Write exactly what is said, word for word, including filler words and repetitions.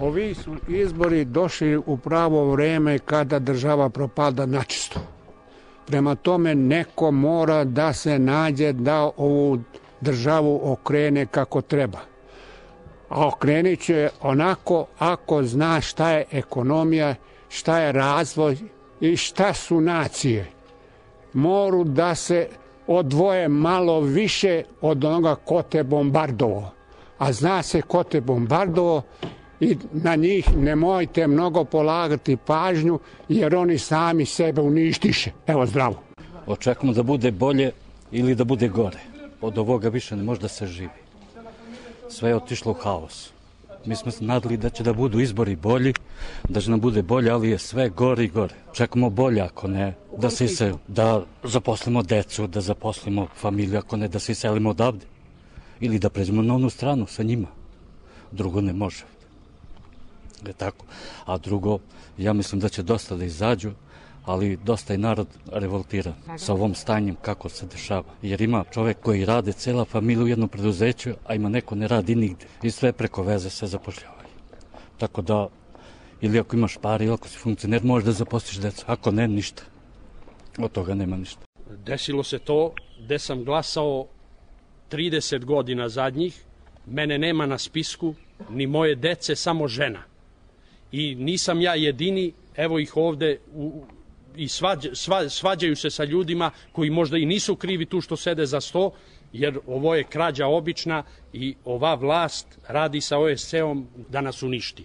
Ovi su izbori došli u pravo vreme kada država propada načisto. Prema tome neko mora da se nađe da ovu državu okrene kako treba. A okrenit će onako ako zna šta je ekonomija, šta je razvoj i šta su nacije. Moru da se odvoje malo više od onoga ko te bombardovao. A zna se ko te bombardovao i na njih nemojte mnogo polagati pažnju jer oni sami sebe uništiše. Evo, zdravo. Očekujemo da bude bolje ili da bude gore. Od ovoga više ne može da se živi. Sve je otišlo u haos. Mi smo se nadali da će da budu izbori bolji, da će nam bude bolje, ali je sve gore i gore. Čekamo bolje, ako ne, da se isel, da zaposlimo decu, da zaposlimo familiju, ako ne, da se iselimo odavde. Ili da pređemo na onu stranu sa njima. Drugo ne može. Je tako. A drugo, ja mislim da će dosta da izađu, ali dosta je narod revoltiran sa ovom stanjem kako se dešava. Jer ima čovek koji rade, cela familija u jednom preduzeću, a ima neko ne radi nigde. I sve preko veze se zapošljavaju. Tako da, ili ako imaš pari, ili ako si funkcioner, možeš da zaposliš decu. Ako ne, ništa. Od toga nema ništa. Desilo se to gde sam glasao trideset godina zadnjih, mene nema na spisku, ni moje dece, samo žena. I nisam ja jedini, evo ih ovde u, i svađ, sva, svađaju se sa ljudima koji možda i nisu krivi tu što sede za sto, jer ovo je krađa obična i ova vlast radi sa O S C-om da nas uništi.